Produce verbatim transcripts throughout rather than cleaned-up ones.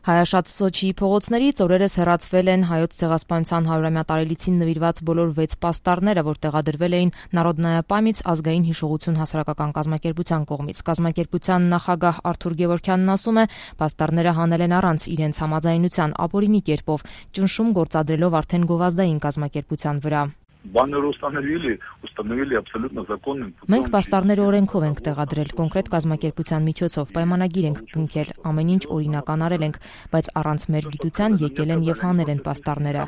Հայաշատ Սոչիի փողոցներից օրերս հեռացվել են հայոց ցեղասպանության հարյուրամյա տարելիցին նվիրված բոլոր վեց պաստառները, որ տեղադրվել էին Նարոդնայա պամյաց ազգային հիշողություն հասարակական կազմակերպության կողմից։ Կազմակերպության նախագահ Արթուր Գևորգյանն ասում է, պաստառները հանել են առանց իրենց համաձայնության ապօրինի կերպով, ճնշում գործադրելով արդեն գովազդային կազմակերպության վրա։ Баннеры установили, установили абсолютно законным путем. Մենք պաստառները օրենքով ենք տեղադրել, կոնկրետ կազմակերպության միջոցով, պայմանագիր ենք կնքել, ամեն ինչ օրինական արել ենք, բայց առանց մեր գիտության եկել են եւ հանել են պաստառները։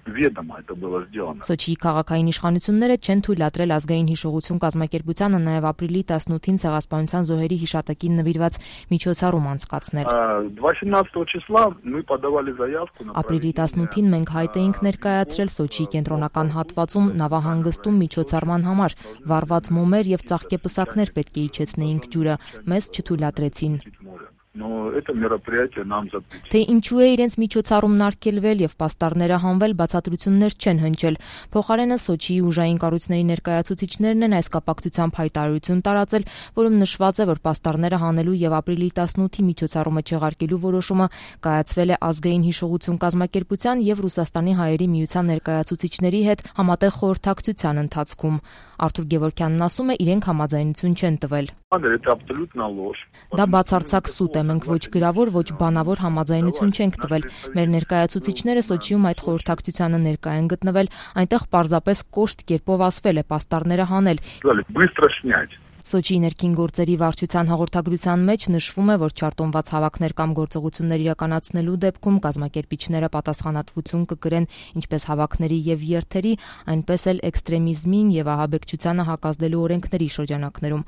Սոչիի քաղաքային իշխանությունները չեն թույլատրել ազգային հիշողություն կազմակերպությանը նաև ապրիլի տասնութին ցեղասպանության զոհերի հիշատակին նվիրված միջոցառում անցկացնել։ Ապրիլի տասնութին մենք հայտ էինք ներկայացրել Սոչիի կենտրոնական հատվածում նավահանգստում միջոցառման համար, վառված մոմեր եւ ծաղկեպսակներ պետք է իջեցնեինք ջուրը, մեզ չթույլատրեցին։ Թե ինչու է իրենց միջոցառումն արգելվել եւ պաստառները հանվել, բացատրություններ չեն հնչել։ Փոխարենը Սոչիի ուժային կառույցների ներկայացուցիչներն են այս կապակցությամբ հայտարարություն տարածել, որում նշված է, որ պաստառները հանելու եւ ապրիլի տասնութի միջոցառումը չեղարկելու որոշումը կայացվել է ազգային հիշողություն կազմակերպության եւ Ռուսաստանի հայերի միության ներկայացուցիչների հետ համատեղ խորհրդակցության ընթացքում։ Արթուր Գևորգյանն ասում է, իրենք համաձայնություն չեն տվել։ Դա բացարձակ սուտ է, մենք ոչ գրավոր, ոչ բանավոր համաձայնություն չենք տվել։ Մեր ներկայացուցիչները Սոչիում այդ խորհրդակցությանը ներկա են գտնվել, այնտեղ պարզապես կոշտ կերպով ասվել է պաստառները հանել։ Սոչիի ներքին գործերի վարչության հաղորդագրության մեջ նշվում է, որ չարտոնված հավաքներ կամ գործողություններ իրականացնելու դեպքում կազմակերպիչները պատասխանատվություն կկրեն ինչպես հավաքների եւ երթերի, այնպես էլ էքստրեմիզմին եւ ահաբեկչությանը հակազդելու օրենքների շրջանակներում։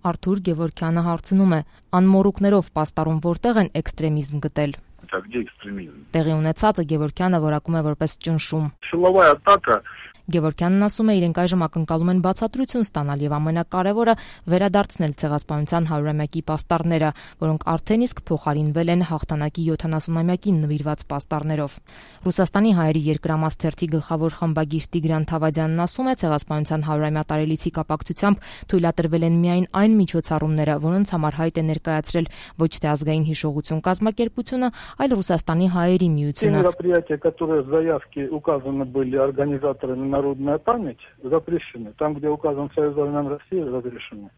Արթուր Գևորգյանը հարցնում է. անմոռուկներով պաստառում որտեղ են էքստրեմիզմ գտել։ Տեղի ունեցածը Գևորգյանը որակում է որպես ճնշում։ Գևորգյանն ասում է, իրենք այժմ ակնկալում են բացատրություն ստանալ եւ ամենակարևորը վերադարձնել ցեղասպանության հարյուրամյակի պաստառները, որոնք արդեն իսկ փոխարինվել են հաղթանակի յոթանասունամյակին նվիրված պաստառներով։ Ռուսաստանի հայերի երկրամաս թերթի գլխավոր խմբագիր Տիգրան Թավադյանն ասում է, ցեղասպանության հարյուրամյա տարելիցի կապակցությամբ թույլատրվել են միայն այն միջոցառումները, որոնց համար հայտ է ներկայացրել ոչ թե ազգային հիշողություն կազմակերպությունը, այլ Ռուսաստանի հայերի միությունը։ Народная память запрещена. Там, где указан Союз армян России, разрешено.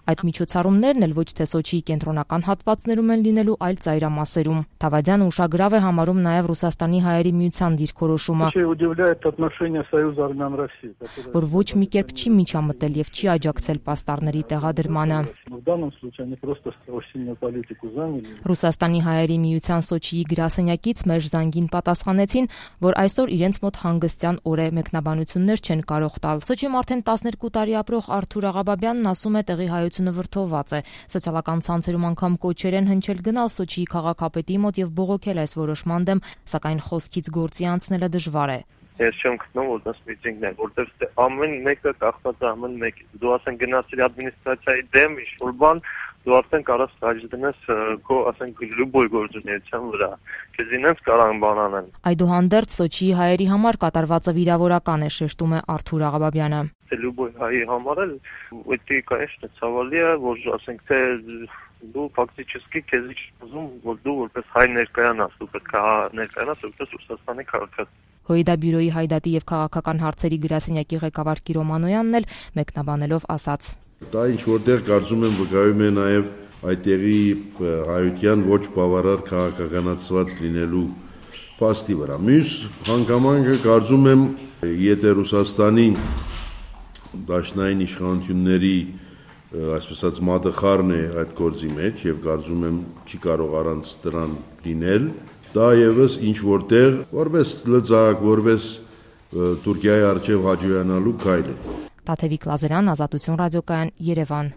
Այդ միջոցառումներն էլ ոչ թե Սոչիի կենտրոնական հատվածներում են լինելու, այլ ծայրամասերում։ Թավադյանը ուշագրավ է համարում նաև Ռուսաստանի հայերի միության դիրքորոշումը, որ ոչ մի կերպ չի միջամտել եւ չի աջակցել պաստառների տեղադրմանը։ Ռուսաստանի հայերի միության Սոչիի գրասենյակից մեր զանգին պատասխանեցին, որ այսօր իրենց մոտ հանգստյան օր է, մեկնաբանություններ չեն կարող տալ։ Սոչիում արդեն տասներկու տարի ապրող Արթուր Աղաբաբյանն ասում է, տեղի հայությունը վրդովված է։ Սոցիալական ցանցերում անգամ կոչեր են հնչել գնալ Սոչիի քաղաքապետի մոտ եւ բողոքել այս որոշման դեմ, սակայն խոսքից գործի անցնելը դժվար է։ Ես չեմ գտնում, որ դա միտինգն է, որտեղ ամեն մեկը կախված է ամեն մեկից։ Դու ասեն գնացիր ադմինիստրացիայի դեմ ինչ-որ բան, դու արդեն կարաս խաչ դնես քո, ասենք, լուբոյ գործունեության վրա։ Քեզ ինձ կարող են բան անել։ Այդուհանդերձ Սոչիի հայերի համար կատարվածը վիրավորական է, շեշտում է Արթուր Աղաբաբյանը։ Լուբոյ հայի համար էլ դա, конечно, ցավալի է, որ ասենք թե դու ֆակտически քեզ ուզում, որ դու որպես հայ ներկայանաս, դու պետք է ներկայանաս որպես Ռուսաստանի քաղաքացի։ Հույդա բյուրոյի հայդատի եւ քաղաքական հարցերի գրասենյակի ղեկավար Կիրո Մանոյանն էլ մեկնաբանելով ասաց. Դա ինչ որտեղ կարծում եմ վկայում է նաեւ այդտեղի հայության ոչ բավարար քաղաքականացված լինելու փաստի վրա։ Մյուս հանգամանքը կարծում եմ, եթե Ռուսաստանի դաշնային իշխանությունների այսպես մատխարն է այդ գործի մեջ եւ կարծում եմ չի կարող առանց դրան լինել, դա եւս ինչ որտեղ որպես լծակ, որպես Թուրքիայի արչեւ հաջողանալու քայլ է։ Տաթևիկ Լազարյան, Ազատություն ռադիոկայան, Երևան։